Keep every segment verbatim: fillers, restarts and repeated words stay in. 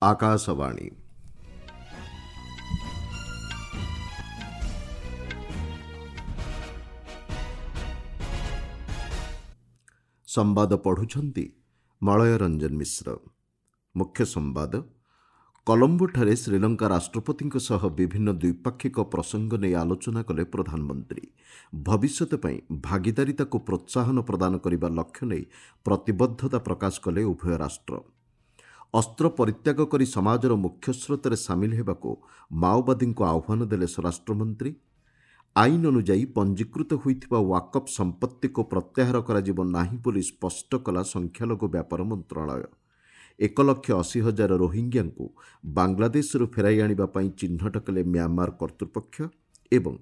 ଆକାଶବାଣୀ ସମ୍ବାଦ ପଢ଼ୁଛନ୍ତି ମଳୟ ରଞ୍ଜନ ମିଶ୍ର। ମୁଖ୍ୟ ସମ୍ବାଦ। କଲମ୍ବୋଠାରେ ଶ୍ରୀଲଙ୍କା ରାଷ୍ଟ୍ରପତିଙ୍କ ସହ ବିଭିନ୍ନ ଦ୍ୱିପାକ୍ଷିକ ପ୍ରସଙ୍ଗ ନେଇ ଆଲୋଚନା କଲେ ପ୍ରଧାନମନ୍ତ୍ରୀ। ଭବିଷ୍ୟତ ପାଇଁ ଭାଗିଦାରିତାକୁ ପ୍ରୋତ୍ସାହନ ପ୍ରଦାନ କରିବା ଲକ୍ଷ୍ୟ ନେଇ ପ୍ରତିବଦ୍ଧତା ପ୍ରକାଶ କଲେ ଉଭୟ ରାଷ୍ଟ୍ର। ଅସ୍ତ୍ର ପରିତ୍ୟାଗ କରି ସମାଜର ମୁଖ୍ୟସ୍ରୋତରେ ସାମିଲ ହେବାକୁ ମାଓବାଦୀଙ୍କୁ ଆହ୍ୱାନ ଦେଲେ ସ୍ୱରାଷ୍ଟ୍ରମନ୍ତ୍ରୀ। ଆଇନ ଅନୁଯାୟୀ ପଞ୍ଜୀକୃତ ହୋଇଥିବା ୱାକଫ୍ ସମ୍ପତ୍ତିକୁ ପ୍ରତ୍ୟାହାର କରାଯିବ ନାହିଁ ବୋଲି ସ୍ପଷ୍ଟ କଲା ସଂଖ୍ୟାଲଘୁ ବ୍ୟାପାର ମନ୍ତ୍ରଣାଳୟ। ଏକ ଲକ୍ଷ ଅଶୀ ହଜାର ରୋହିଙ୍ଗ୍ୟାଙ୍କୁ ବାଂଲାଦେଶରୁ ଫେରାଇ ଆଣିବା ପାଇଁ ଚିହ୍ନଟ କଲେ ମ୍ୟାମାର କର୍ତ୍ତୃପକ୍ଷ। ଏବଂ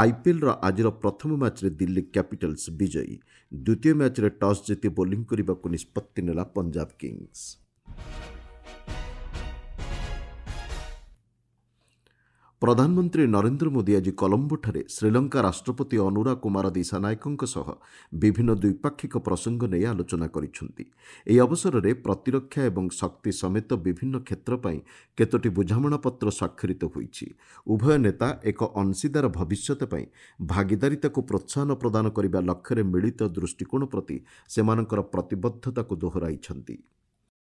ଆଇପିଏଲ୍ର ଆଜିର ପ୍ରଥମ ମ୍ୟାଚ୍ରେ ଦିଲ୍ଲୀ କ୍ୟାପିଟାଲ୍ସ ବିଜୟୀ। ଦ୍ୱିତୀୟ ମ୍ୟାଚ୍ରେ ଟସ୍ ଜିତି ବୋଲିଂ କରିବାକୁ ନିଷ୍ପତ୍ତି ନେଲା ପଞ୍ଜାବ କିଙ୍ଗସ୍। ପ୍ରଧାନମନ୍ତ୍ରୀ ନରେନ୍ଦ୍ର ମୋଦି ଆଜି କଲମ୍ବୋଠାରେ ଶ୍ରୀଲଙ୍କା ରାଷ୍ଟ୍ରପତି ଅନୁରା କୁମାର ଦିଶାନାୟକଙ୍କ ସହ ବିଭିନ୍ନ ଦ୍ୱିପାକ୍ଷିକ ପ୍ରସଙ୍ଗ ନେଇ ଆଲୋଚନା କରିଛନ୍ତି। ଏହି ଅବସରରେ ପ୍ରତିରକ୍ଷା ଏବଂ ଶକ୍ତି ସମେତ ବିଭିନ୍ନ କ୍ଷେତ୍ର ପାଇଁ କେତୋଟି ବୁଝାମଣାପତ୍ର ସ୍ୱାକ୍ଷରିତ ହୋଇଛି। ଉଭୟ ନେତା ଏକ ଅଂଶୀଦାର ଭବିଷ୍ୟତ ପାଇଁ ଭାଗିଦାରିତାକୁ ପ୍ରୋତ୍ସାହନ ପ୍ରଦାନ କରିବା ଲକ୍ଷ୍ୟରେ ମିଳିତ ଦୃଷ୍ଟିକୋଣ ପ୍ରତି ସେମାନଙ୍କର ପ୍ରତିବଦ୍ଧତାକୁ ଦୋହରାଇଛନ୍ତି।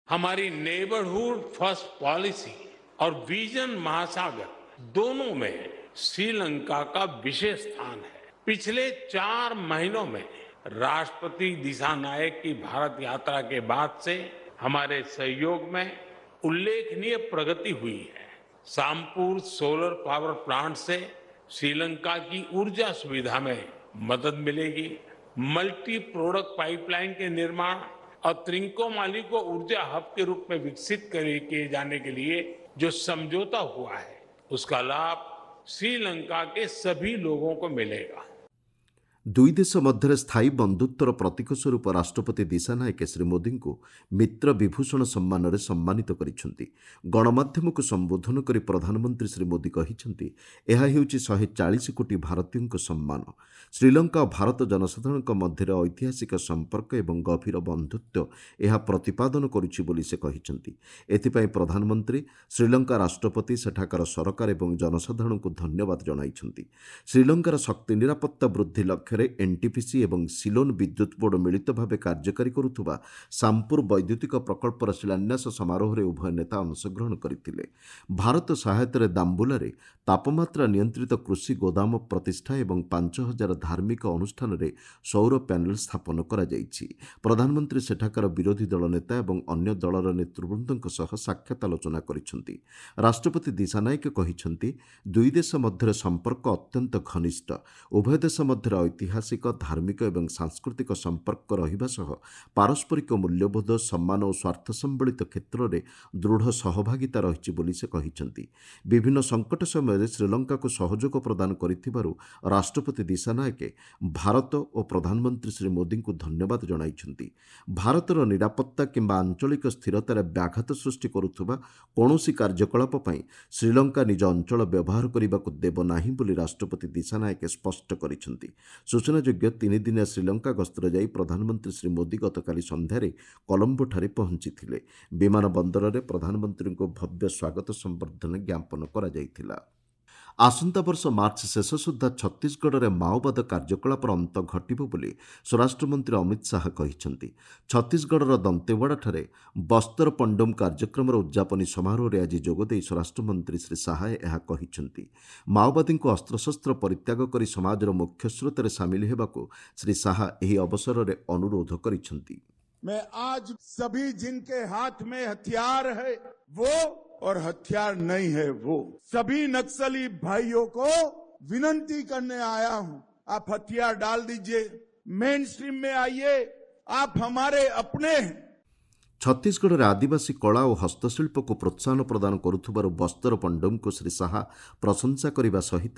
हमारी नेबरहुड फर्स्ट पॉलिसी और विजन महासागर दोनों में श्रीलंका का विशेष स्थान है। पिछले चार महीनों में राष्ट्रपति दिशानायक की भारत यात्रा के बाद से हमारे सहयोग में उल्लेखनीय प्रगति हुई है। सामपुर सोलर पावर प्लांट से श्रीलंका की ऊर्जा सुविधा में मदद मिलेगी। मल्टी प्रोडक्ट पाइपलाइन के निर्माण और त्रिंकोमाली को ऊर्जा हब के रूप में विकसित किए जाने के लिए जो समझौता हुआ है, उसका लाभ श्रीलंका के सभी लोगों को मिलेगा। ଦୁଇ ଦେଶ ମଧ୍ୟରେ ସ୍ଥାୟୀ ବନ୍ଧୁତ୍ୱର ପ୍ରତୀକ ସ୍ୱରୂପ ରାଷ୍ଟ୍ରପତି ଦିଶାନାୟକେ ଶ୍ରୀ ମୋଦିଙ୍କୁ ମିତ୍ର ବିଭୂଷଣ ସମ୍ମାନରେ ସମ୍ମାନିତ କରିଛନ୍ତି। ଗଣମାଧ୍ୟମକୁ ସମ୍ବୋଧନ କରି ପ୍ରଧାନମନ୍ତ୍ରୀ ଶ୍ରୀ ମୋଦି କହିଛନ୍ତି, ଏହା ହେଉଛି ଶହେ ଚାଳିଶ କୋଟି ଭାରତୀୟଙ୍କ ସମ୍ମାନ। ଶ୍ରୀଲଙ୍କା ଓ ଭାରତ ଜନସାଧାରଣଙ୍କ ମଧ୍ୟରେ ଐତିହାସିକ ସମ୍ପର୍କ ଏବଂ ଗଭୀର ବନ୍ଧୁତ୍ୱ ଏହା ପ୍ରତିପାଦନ କରୁଛି ବୋଲି ସେ କହିଛନ୍ତି। ଏଥିପାଇଁ ପ୍ରଧାନମନ୍ତ୍ରୀ ଶ୍ରୀଲଙ୍କା ରାଷ୍ଟ୍ରପତି, ସେଠାକାର ସରକାର ଏବଂ ଜନସାଧାରଣଙ୍କୁ ଧନ୍ୟବାଦ ଜଣାଇଛନ୍ତି। ଶ୍ରୀଲଙ୍କାର ଶକ୍ତି ନିରାପତ୍ତା ବୃଦ୍ଧି ଲକ୍ଷ୍ୟରେ ଏନ୍ଟିପିସି ଏବଂ ସିଲୋନ୍ ବିଦ୍ୟୁତ୍ ବୋର୍ଡ ମିଳିତ ଭାବେ କାର୍ଯ୍ୟକାରୀ କରୁଥିବା ସାମପୁର ବୈଦ୍ୟୁତିକ ପ୍ରକଳ୍ପର ଶିଳାନ୍ୟାସ ସମାରୋହରେ ଉଭୟ ନେତା ଅଂଶଗ୍ରହଣ କରିଥିଲେ। ଭାରତ ସହାୟତାରେ ଦାମ୍ବୁଲାରେ ତାପମାତ୍ରା ନିୟନ୍ତ୍ରିତ କୃଷି ଗୋଦାମ ପ୍ରତିଷ୍ଠା ଏବଂ ପାଞ୍ଚ ହଜାର ଧାର୍ମିକ ଅନୁଷ୍ଠାନରେ ସୌର ପ୍ୟାନେଲ ସ୍ଥାପନ କରାଯାଇଛି। ପ୍ରଧାନମନ୍ତ୍ରୀ ସେଠାକାର ବିରୋଧୀ ଦଳ ନେତା ଏବଂ ଅନ୍ୟ ଦଳର ନେତୃବୃନ୍ଦଙ୍କ ସହ ସାକ୍ଷାତ ଆଲୋଚନା କରିଛନ୍ତି। ରାଷ୍ଟ୍ରପତି ଦିଶାନାୟକ କହିଛନ୍ତି, ଦୁଇ ଦେଶ ମଧ୍ୟରେ ସମ୍ପର୍କ ଅତ୍ୟନ୍ତ ଘନିଷ୍ଠ। ଉଭୟ ଦେଶ ମଧ୍ୟରେ ଐତିହାସିକ, ଧାର୍ମିକ ଏବଂ ସାଂସ୍କୃତିକ ସମ୍ପର୍କ ରହିବା ସହ ପାରସ୍ପରିକ ମୂଲ୍ୟବୋଧ, ସମ୍ମାନ ଓ ସ୍ୱାର୍ଥ ସମ୍ବଳିତ କ୍ଷେତ୍ରରେ ଦୃଢ଼ ସହଭାଗିତା ରହିଛି ବୋଲି ସେ କହିଛନ୍ତି। ବିଭିନ୍ନ ସଙ୍କଟ ସମୟରେ ଶ୍ରୀଲଙ୍କାକୁ ସହଯୋଗ ପ୍ରଦାନ କରିଥିବାରୁ ରାଷ୍ଟ୍ରପତି ଦିଶାନାୟକେ ଭାରତ ଓ ପ୍ରଧାନମନ୍ତ୍ରୀ ଶ୍ରୀ ମୋଦିଙ୍କୁ ଧନ୍ୟବାଦ ଜଣାଇଛନ୍ତି। ଭାରତର ନିରାପତ୍ତା କିମ୍ବା ଆଞ୍ଚଳିକ ସ୍ଥିରତାରେ ବ୍ୟାଘାତ ସୃଷ୍ଟି କରୁଥିବା କୌଣସି କାର୍ଯ୍ୟକଳାପ ପାଇଁ ଶ୍ରୀଲଙ୍କା ନିଜ ଅଞ୍ଚଳ ବ୍ୟବହାର କରିବାକୁ ଦେବ ନାହିଁ ବୋଲି ରାଷ୍ଟ୍ରପତି ଦିଶାନାୟକେ ସ୍ପଷ୍ଟ କରିଛନ୍ତି। ସୂଚନାଯୋଗ୍ୟ, ତିନିଦିନିଆ ଶ୍ରୀଲଙ୍କା ଗସ୍ତରେ ଯାଇ ପ୍ରଧାନମନ୍ତ୍ରୀ ଶ୍ରୀ ମୋଦି ଗତକାଲି ସନ୍ଧ୍ୟାରେ କଲମ୍ବୋଠାରେ ପହଞ୍ଚିଥିଲେ। ବିମାନ ବନ୍ଦରରେ ପ୍ରଧାନମନ୍ତ୍ରୀଙ୍କୁ ଭବ୍ୟ ସ୍ୱାଗତ ସମ୍ବର୍ଦ୍ଧନା ଜ୍ଞାପନ କରାଯାଇଥିଲା। ଆସନ୍ତା ବର୍ଷ ମାର୍ଚ୍ଚ ଶେଷ ସୁଦ୍ଧା ଛତିଶଗଡ଼ରେ ମାଓବାଦ କାର୍ଯ୍ୟକଳାପର ଅନ୍ତ ଘଟିବ ବୋଲି ସ୍ୱରାଷ୍ଟ୍ରମନ୍ତ୍ରୀ ଅମିତ ଶାହା କହିଛନ୍ତି। ଛତିଶଗଡ଼ର ଦନ୍ତେୱାଡ଼ାଠାରେ ବସ୍ତର ପଣ୍ଡୁମ କାର୍ଯ୍ୟକ୍ରମର ଉଦ୍ଯାପନୀ ସମାରୋହରେ ଆଜି ଯୋଗଦେଇ ସ୍ୱରାଷ୍ଟ୍ରମନ୍ତ୍ରୀ ଶ୍ରୀ ଶାହା ଏହା କହିଛନ୍ତି। ମାଓବାଦୀଙ୍କୁ ଅସ୍ତ୍ରଶସ୍ତ୍ର ପରିତ୍ୟାଗ କରି ସମାଜର ମୁଖ୍ୟସ୍ରୋତରେ ସାମିଲ ହେବାକୁ ଶ୍ରୀ ଶାହା ଏହି ଅବସରରେ ଅନୁରୋଧ କରିଛନ୍ତି। मैं आज सभी जिनके हाथ में हथियार है वो और हथियार नहीं है वो सभी नक्सली भाइयों को विनंती करने आया हूं, आप हथियार डाल दीजिए, मेन स्ट्रीम में आइए, आप हमारे अपने हैं। ଛତିଶଗଡ଼ରେ ଆଦିବାସୀ କଳା ଓ ହସ୍ତଶିଳ୍ପକୁ ପ୍ରୋତ୍ସାହନ ପ୍ରଦାନ କରୁଥିବାରୁ ବସ୍ତର ପଣ୍ଡୁମକୁ ଶ୍ରୀ ଶାହା ପ୍ରଶଂସା କରିବା ସହିତ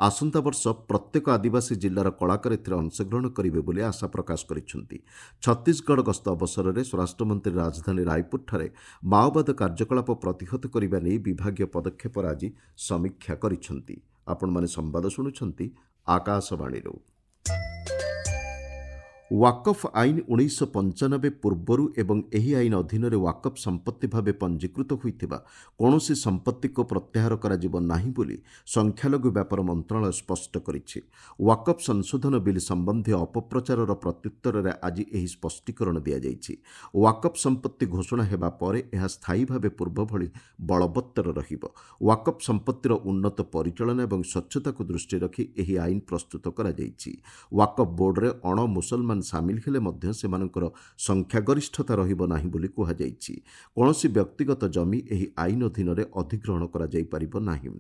ଆସନ୍ତା ବର୍ଷ ପ୍ରତ୍ୟେକ ଆଦିବାସୀ ଜିଲ୍ଲାର କଳାକାର ଏଥିରେ ଅଂଶଗ୍ରହଣ କରିବେ ବୋଲି ଆଶା ପ୍ରକାଶ କରିଛନ୍ତି। ଛତିଶଗଡ଼ ଗସ୍ତ ଅବସରରେ ସ୍ୱରାଷ୍ଟ୍ରମନ୍ତ୍ରୀ ରାଜଧାନୀ ରାୟପୁରଠାରେ ମାଓବାଦ କାର୍ଯ୍ୟକଳାପ ପ୍ରତିହତ କରିବା ନେଇ ବିଭାଗୀୟ ପଦକ୍ଷେପର ଆଜି ସମୀକ୍ଷା କରିଛନ୍ତି। ଆପଣମାନେ ସମ୍ବାଦ ଶୁଣୁଛନ୍ତି ଆକାଶବାଣୀରୁ। ୱାକଫ୍ ଆଇନ ଉଣେଇଶହ ପଞ୍ଚାନବେ ପୂର୍ବରୁ ଏବଂ ଏହି ଆଇନ ଅଧୀନରେ ୱାକଫ୍ ସମ୍ପତ୍ତି ଭାବେ ପଞ୍ଜୀକୃତ ହୋଇଥିବା କୌଣସି ସମ୍ପତ୍ତିକୁ ପ୍ରତ୍ୟାହାର କରାଯିବ ନାହିଁ ବୋଲି ସଂଖ୍ୟାଲଘୁ ବ୍ୟାପାର ମନ୍ତ୍ରଣାଳୟ ସ୍ପଷ୍ଟ କରିଛି। ୱାକଫ୍ ସଂଶୋଧନ ବିଲ୍ ସମ୍ବନ୍ଧୀୟ ଅପପ୍ରଚାରର ପ୍ରତ୍ୟୁତ୍ତରରେ ଆଜି ଏହି ସ୍ପଷ୍ଟୀକରଣ ଦିଆଯାଇଛି। ୱାକଫ୍ ସମ୍ପତ୍ତି ଘୋଷଣା ହେବା ପରେ ଏହା ସ୍ଥାୟୀ ଭାବେ ପୂର୍ବଭଳି ବଳବତ୍ତର ରହିବ। ୱାକଫ୍ ସମ୍ପତ୍ତିର ଉନ୍ନତ ପରିଚାଳନା ଏବଂ ସ୍ୱଚ୍ଛତାକୁ ଦୃଷ୍ଟିରେ ରଖି ଏହି ଆଇନ ପ୍ରସ୍ତୁତ କରାଯାଇଛି। ୱାକଫ୍ ବୋର୍ଡରେ ଅଣ ମୁସଲମାନ ସାମିଲ ହେଲେ ମଧ୍ୟ ସେମାନଙ୍କର ସଂଖ୍ୟାଗରିଷ୍ଠତା ରହିବ ନାହିଁ ବୋଲି କୁହାଯାଇଛି। କୌଣସି ବ୍ୟକ୍ତିଗତ ଜମି ଏହି ଆଇନ ଅଧୀନରେ ଅଧିଗ୍ରହଣ କରାଯାଇପାରିବ ନାହିଁ।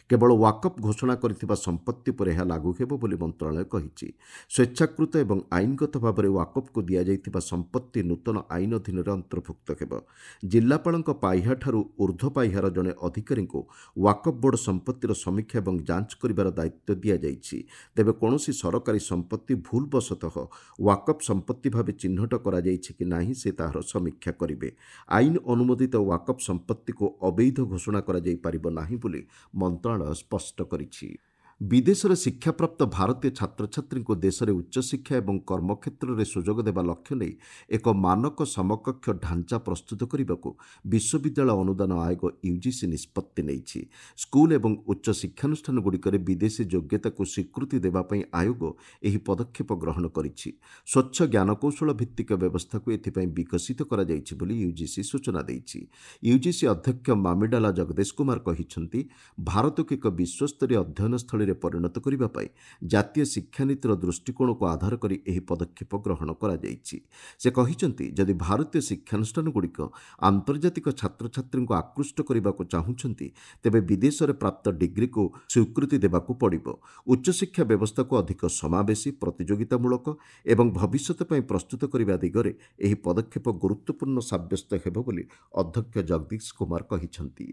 କେବଳ ୱାକଫ୍ ଘୋଷଣା କରିଥିବା ସମ୍ପତ୍ତି ଉପରେ ଏହା ଲାଗୁ ହେବ ବୋଲି ମନ୍ତ୍ରଣାଳୟ କହିଛି। ସ୍ୱେଚ୍ଛାକୃତ ଏବଂ ଆଇନଗତ ଭାବରେ ୱାକଫ୍କୁ ଦିଆଯାଇଥିବା ସମ୍ପତ୍ତି ନୂତନ ଆଇନ ଅଧୀନରେ ଅନ୍ତର୍ଭୁକ୍ତ ହେବ। ଜିଲ୍ଲାପାଳଙ୍କ ପାହ୍ୟାଠାରୁ ଉର୍ଦ୍ଧ୍ୱ ପାହ୍ୟାର ଜଣେ ଅଧିକାରୀଙ୍କୁ ୱାକଫ୍ ବୋର୍ଡ ସମ୍ପତ୍ତିର ସମୀକ୍ଷା ଏବଂ ଯାଞ୍ଚ କରିବାର ଦାୟିତ୍ୱ ଦିଆଯାଇଛି। ତେବେ କୌଣସି ସରକାରୀ ସମ୍ପତ୍ତି ଭୁଲବଶତଃ ୱାକଫ୍ ସମ୍ପତ୍ତି ଭାବେ ଚିହ୍ନଟ କରାଯାଇଛି କି ନାହିଁ ସେ ତାହାର ସମୀକ୍ଷା କରିବେ। ଆଇନ ଅନୁମୋଦିତ ୱାକଫ୍ ସମ୍ପତ୍ତିକୁ ଅବୈଧ ଘୋଷଣା କରାଯାଇପାରିବ ନାହିଁ ବୋଲି ମନ୍ତ୍ରଣାଳୟ ସ୍ପଷ୍ଟ କରିଛି। ବିଦେଶରେ ଶିକ୍ଷାପ୍ରାପ୍ତ ଭାରତୀୟ ଛାତ୍ରଛାତ୍ରୀଙ୍କୁ ଦେଶରେ ଉଚ୍ଚଶିକ୍ଷା ଏବଂ କର୍ମକ୍ଷେତ୍ରରେ ସୁଯୋଗ ଦେବା ଲକ୍ଷ୍ୟ ନେଇ ଏକ ମାନକ ସମକକ୍ଷ ଢାଞ୍ଚା ପ୍ରସ୍ତୁତ କରିବାକୁ ବିଶ୍ୱବିଦ୍ୟାଳୟ ଅନୁଦାନ ଆୟୋଗ ୟୁଜିସି ନିଷ୍ପତ୍ତି ନେଇଛି। ସ୍କୁଲ ଏବଂ ଉଚ୍ଚ ଶିକ୍ଷାନୁଷ୍ଠାନଗୁଡ଼ିକରେ ବିଦେଶୀ ଯୋଗ୍ୟତାକୁ ସ୍ୱୀକୃତି ଦେବା ପାଇଁ ଆୟୋଗ ଏହି ପଦକ୍ଷେପ ଗ୍ରହଣ କରିଛି। ସ୍ୱଚ୍ଛ ଜ୍ଞାନକୌଶଳ ଭିତ୍ତିକ ବ୍ୟବସ୍ଥାକୁ ଏଥିପାଇଁ ବିକଶିତ କରାଯାଇଛି ବୋଲି ୟୁଜିସି ସୂଚନା ଦେଇଛି। ୟୁଜିସି ଅଧ୍ୟକ୍ଷ ମାମିଡାଲା ଜଗଦେଶ କୁମାର କହିଛନ୍ତି, ଭାରତକୁ ଏକ ବିଶ୍ୱସ୍ତରୀୟ ଅଧ୍ୟୟନ ସ୍ଥଳୀରେ ପରିଣତ କରିବା ପାଇଁ ଜାତୀୟ ଶିକ୍ଷାନୀତିର ଦୃଷ୍ଟିକୋଣକୁ ଆଧାର କରି ଏହି ପଦକ୍ଷେପ ଗ୍ରହଣ କରାଯାଇଛି। ସେ କହିଛନ୍ତି, ଯଦି ଭାରତୀୟ ଶିକ୍ଷାନୁଷ୍ଠାନଗୁଡ଼ିକ ଆନ୍ତର୍ଜାତିକ ଛାତ୍ରଛାତ୍ରୀଙ୍କୁ ଆକୃଷ୍ଟ କରିବାକୁ ଚାହୁଁଛନ୍ତି, ତେବେ ବିଦେଶରେ ପ୍ରାପ୍ତ ଡିଗ୍ରୀକୁ ସ୍ୱୀକୃତି ଦେବାକୁ ପଡ଼ିବ। ଉଚ୍ଚଶିକ୍ଷା ବ୍ୟବସ୍ଥାକୁ ଅଧିକ ସମାବେଶୀ, ପ୍ରତିଯୋଗିତାମୂଳକ ଏବଂ ଭବିଷ୍ୟତ ପାଇଁ ପ୍ରସ୍ତୁତ କରିବା ଦିଗରେ ଏହି ପଦକ୍ଷେପ ଗୁରୁତ୍ୱପୂର୍ଣ୍ଣ ସାବ୍ୟସ୍ତ ହେବ ବୋଲି ଅଧ୍ୟକ୍ଷ ଜଗଦୀଶ କୁମାର କହିଛନ୍ତି।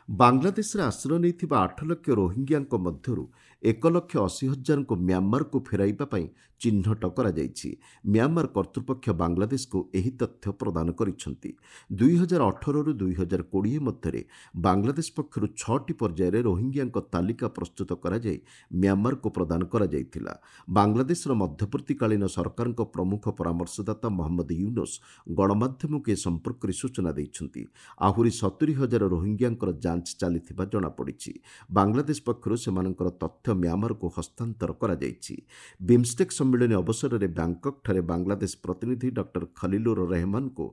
ବାଂଲାଦେଶରେ ଆଶ୍ରୟ ନେଇଥିବା ଆଠ ଲକ୍ଷ ରୋହିଙ୍ଗ୍ୟାଙ୍କ ମଧ୍ୟରୁ ଏକ ଲକ୍ଷ ଅଶୀ ହଜାରଙ୍କୁ ମ୍ୟାଁମାରକୁ ଫେରାଇବା ପାଇଁ ଚିହ୍ନଟ କରାଯାଇଛି। ମ୍ୟାଁମାର କର୍ତ୍ତୃପକ୍ଷ ବାଂଲାଦେଶକୁ ଏହି ତଥ୍ୟ ପ୍ରଦାନ କରିଛନ୍ତି। ଦୁଇ ହଜାର ଅଠରରୁ ଦୁଇ ହଜାର କୋଡ଼ିଏ ମଧ୍ୟରେ ବାଂଲାଦେଶ ପକ୍ଷରୁ ଛଅଟି ପର୍ଯ୍ୟାୟରେ ରୋହିଙ୍ଗ୍ୟାଙ୍କ ତାଲିକା ପ୍ରସ୍ତୁତ କରାଯାଇ ମ୍ୟାଁମାରକୁ ପ୍ରଦାନ କରାଯାଇଥିଲା। ବାଂଲାଦେଶର ମଧ୍ୟବର୍ତ୍ତୀକାଳୀନ ସରକାରଙ୍କ ପ୍ରମୁଖ ପରାମର୍ଶଦାତା ମହମ୍ମଦ ୟୁନୋସ୍ ଗଣମାଧ୍ୟମକୁ ଏ ସମ୍ପର୍କରେ ସୂଚନା ଦେଇଛନ୍ତି। ଆହୁରି ସତୁରି ହଜାର ରୋହିଙ୍ଗ୍ୟାଙ୍କର ଯାଞ୍ଚ ଚାଲିଥିବା ଜଣାପଡ଼ିଛି। ବାଂଲାଦେଶ ପକ୍ଷରୁ ସେମାନଙ୍କର ତଥ୍ୟ ମ୍ୟାଁମାରକୁ ହସ୍ତାନ୍ତର କରାଯାଇଛି। ବିମ୍ଷ୍ଟେକ୍ ସମ୍ମିଳନୀ ଅବସରରେ ବ୍ୟାଙ୍କକ୍ଠାରେ ବାଂଲାଦେଶ ପ୍ରତିନିଧି ଡକ୍ଟର ଖଲିଲୁର ରେହମାନଙ୍କୁ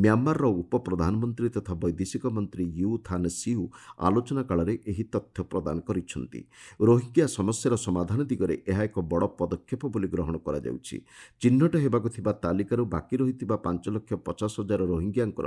ମ୍ୟାଁମାରର ଉପପ୍ରଧାନମନ୍ତ୍ରୀ ତଥା ବୈଦେଶିକ ମନ୍ତ୍ରୀ you ଥାନ୍ ସିଉ ଆଲୋଚନା କାଳରେ ଏହି ତଥ୍ୟ ପ୍ରଦାନ କରିଛନ୍ତି। ରୋହିଙ୍ଗ୍ୟା ସମସ୍ୟାର ସମାଧାନ ଦିଗରେ ଏହା ଏକ ବଡ଼ ପଦକ୍ଷେପ ବୋଲି ଗ୍ରହଣ କରାଯାଉଛି। ଚିହ୍ନଟ ହେବାକୁ ଥିବା ତାଲିକାରୁ ବାକି ରହିଥିବା ପାଞ୍ଚ ଲକ୍ଷ ପଚାଶ ହଜାର ରୋହିଙ୍ଗ୍ୟାଙ୍କର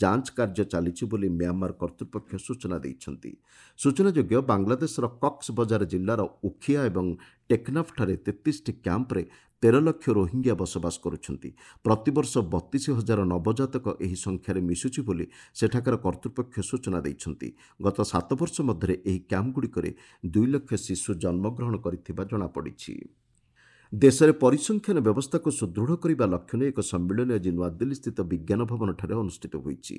ଯାଞ୍ଚ କାର୍ଯ୍ୟ ଚାଲିଛି ବୋଲି ମ୍ୟାଁମାର କର୍ତ୍ତୃପକ୍ଷ ସୂଚନା ଦେଇଛନ୍ତି। ସୂଚନାଯୋଗ୍ୟ, ବାଂଲାଦେଶର କକ୍ସ ବଜାର ଜିଲ୍ଲାର ଉଖିଆ ଏବଂ ଟେକନାଫ୍ଠାରେ ତେତିଶଟି କ୍ୟାମ୍ପରେ ତେର ଲକ୍ଷ ରୋହିଙ୍ଗ୍ୟା ବସବାସ କରୁଛନ୍ତି। ପ୍ରତିବର୍ଷ ବତିଶ ହଜାର ନବଜାତକ ଏହି ସଂଖ୍ୟାରେ ମିଶୁଛି ବୋଲି ସେଠାକାର କର୍ତ୍ତୃପକ୍ଷ ସୂଚନା ଦେଇଛନ୍ତି। ଗତ ସାତ ବର୍ଷ ମଧ୍ୟରେ ଏହି କ୍ୟାମ୍ପଗୁଡ଼ିକରେ ଦୁଇ ଲକ୍ଷ ଶିଶୁ ଜନ୍ମଗ୍ରହଣ କରିଥିବା ଜଣାପଡ଼ିଛି। ଦେଶରେ ପରିସଂଖ୍ୟାନ ବ୍ୟବସ୍ଥାକୁ ସୁଦୃଢ଼ କରିବା ଲକ୍ଷ୍ୟ ନେଇ ଏକ ସମ୍ମିଳନୀ ଆଜି ନୂଆଦିଲ୍ଲୀସ୍ଥିତ ବିଜ୍ଞାନ ଭବନଠାରେ ଅନୁଷ୍ଠିତ ହୋଇଛି।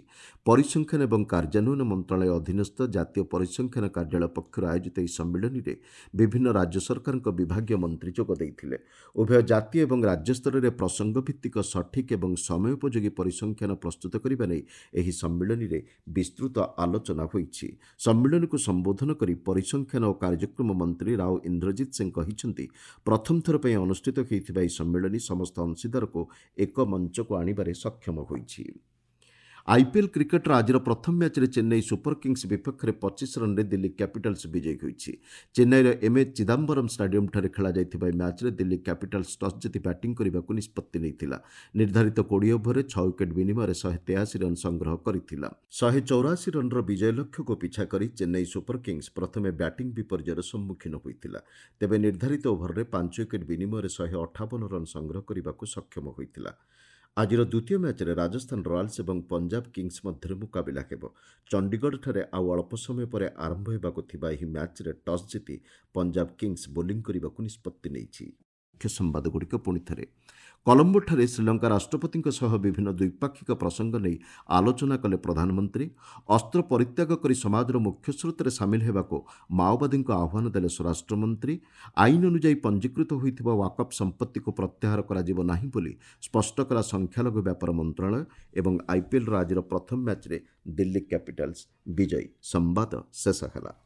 ପରିସଂଖ୍ୟାନ ଏବଂ କାର୍ଯ୍ୟାନ୍ୱୟନ ମନ୍ତ୍ରଣାଳୟ ଅଧୀନସ୍ଥ ଜାତୀୟ ପରିସଂଖ୍ୟାନ କାର୍ଯ୍ୟାଳୟ ପକ୍ଷରୁ ଆୟୋଜିତ ଏହି ସମ୍ମିଳନୀରେ ବିଭିନ୍ନ ରାଜ୍ୟ ସରକାରଙ୍କ ବିଭାଗୀୟ ମନ୍ତ୍ରୀ ଯୋଗ ଦେଇଥିଲେ। ଉଭୟ ଜାତୀୟ ଏବଂ ରାଜ୍ୟ ସ୍ତରରେ ପ୍ରସଙ୍ଗଭିତ୍ତିକ ସଠିକ୍ ଏବଂ ସମୟୋପଯୋଗୀ ପରିସଂଖ୍ୟାନ ପ୍ରସ୍ତୁତ କରିବା ନେଇ ଏହି ସମ୍ମିଳନୀରେ ବିସ୍ତୃତ ଆଲୋଚନା ହୋଇଛି। ସମ୍ମିଳନୀକୁ ସମ୍ବୋଧନ କରି ପରିସଂଖ୍ୟାନ ଓ କାର୍ଯ୍ୟକ୍ରମ ମନ୍ତ୍ରୀ ରାଓ ଇନ୍ଦ୍ରଜିତ ସିଂ କହିଛନ୍ତି, ପ୍ରଥମ ଥର ପାଇଁ ଅନୁଷ୍ଠିତ ହୋଇଥିବା ଏହି ସମ୍ମିଳନୀ ସମସ୍ତ ଅଂଶୀଦାରକୁ ଏକ ମଞ୍ଚକୁ ଆଣିବାରେ ସକ୍ଷମ ହୋଇଛି। ଆଇପିଏଲ୍ କ୍ରିକେଟର ଆଜିର ପ୍ରଥମ ମ୍ୟାଚ୍ରେ ଚେନ୍ନାଇ ସୁପର କିଙ୍ଗସ୍ ବିପକ୍ଷରେ ପଚିଶ ରନ୍ରେ ଦିଲ୍ଲୀ କ୍ୟାପିଟାଲ୍ସ ବିଜୟୀ ହୋଇଛି। ଚେନ୍ନାଇର ଏମ୍ଏ ଚିଦାମ୍ବରମ୍ ଷ୍ଟାଡିୟମ୍ଠାରେ ଖେଳାଯାଇଥିବା ଏହି ମ୍ୟାଚ୍ରେ ଦିଲ୍ଲୀ କ୍ୟାପିଟାଲ୍ସ ଟସ୍ ଜିତି ବ୍ୟାଟିଂ କରିବାକୁ ନିଷ୍ପତ୍ତି ନେଇଥିଲା। ନିର୍ଦ୍ଧାରିତ କୋଡ଼ିଏ ଓଭରରେ ଛଅ ୱିକେଟ୍ ବିନିମୟରେ ଶହେ ତେୟାଅଶୀ ରନ୍ ସଂଗ୍ରହ କରିଥିଲା। ଶହେ ଚଉରାଅଶୀ ରନ୍ର ବିଜୟ ଲକ୍ଷ୍ୟକୁ ପିଛା କରି ଚେନ୍ନାଇ ସୁପର କିଙ୍ଗସ୍ ପ୍ରଥମେ ବ୍ୟାଟିଂ ବିପର୍ଯ୍ୟୟର ସମ୍ମୁଖୀନ ହୋଇଥିଲା। ତେବେ ନିର୍ଦ୍ଧାରିତ ଓଭରରେ ପାଞ୍ଚ ୱିକେଟ୍ ବିନିମୟରେ ଶହେ ଅଠାବନ ରନ୍ ସଂଗ୍ରହ କରିବାକୁ ସକ୍ଷମ ହୋଇଥିଲା। ଆଜିର ଦ୍ୱିତୀୟ ମ୍ୟାଚ୍ରେ ରାଜସ୍ଥାନ ରୟାଲ୍ସ ଏବଂ ପଞ୍ଜାବ କିଙ୍ଗସ୍ ମଧ୍ୟରେ ମୁକାବିଲା ହେବ। ଚଣ୍ଡିଗଡ଼ଠାରେ ଆଉ ଅଳ୍ପ ସମୟ ପରେ ଆରମ୍ଭ ହେବାକୁ ଥିବା ଏହି ମ୍ୟାଚ୍ରେ ଟସ୍ ଜିତି ପଞ୍ଜାବ କିଙ୍ଗସ୍ ବୋଲିଂ କରିବାକୁ ନିଷ୍ପତ୍ତି ନେଇଛି। ମୁଖ୍ୟ ସମ୍ବାଦଗୁଡ଼ିକ ପୁଣି ଥରେ କଲମ୍ବୋଠାରେ ଶ୍ରୀଲଙ୍କା ରାଷ୍ଟ୍ରପତିଙ୍କ ସହ ବିଭିନ୍ନ ଦ୍ୱିପାକ୍ଷିକ ପ୍ରସଙ୍ଗ ନେଇ ଆଲୋଚନା କଲେ ପ୍ରଧାନମନ୍ତ୍ରୀ। ଅସ୍ତ୍ର ପରିତ୍ୟାଗ କରି ସମାଜର ମୁଖ୍ୟସ୍ରୋତରେ ସାମିଲ ହେବାକୁ ମାଓବାଦୀଙ୍କୁ ଆହ୍ୱାନ ଦେଲେ ସ୍ୱରାଷ୍ଟ୍ରମନ୍ତ୍ରୀ। ଆଇନ ଅନୁଯାୟୀ ପଞ୍ଜୀକୃତ ହୋଇଥିବା ୱାକଫ୍ ସମ୍ପତ୍ତିକୁ ପ୍ରତ୍ୟାହାର କରାଯିବ ନାହିଁ ବୋଲି ସ୍ପଷ୍ଟ କଲା ସଂଖ୍ୟାଲଘୁ ବ୍ୟାପାର ମନ୍ତ୍ରଣାଳୟ। ଏବଂ ଆଇପିଏଲ୍ର ଆଜିର ପ୍ରଥମ ମ୍ୟାଚ୍ରେ ଦିଲ୍ଲୀ କ୍ୟାପିଟାଲ୍ସ ବିଜୟୀ। ସମ୍ବାଦ ଶେଷ ହେଲା।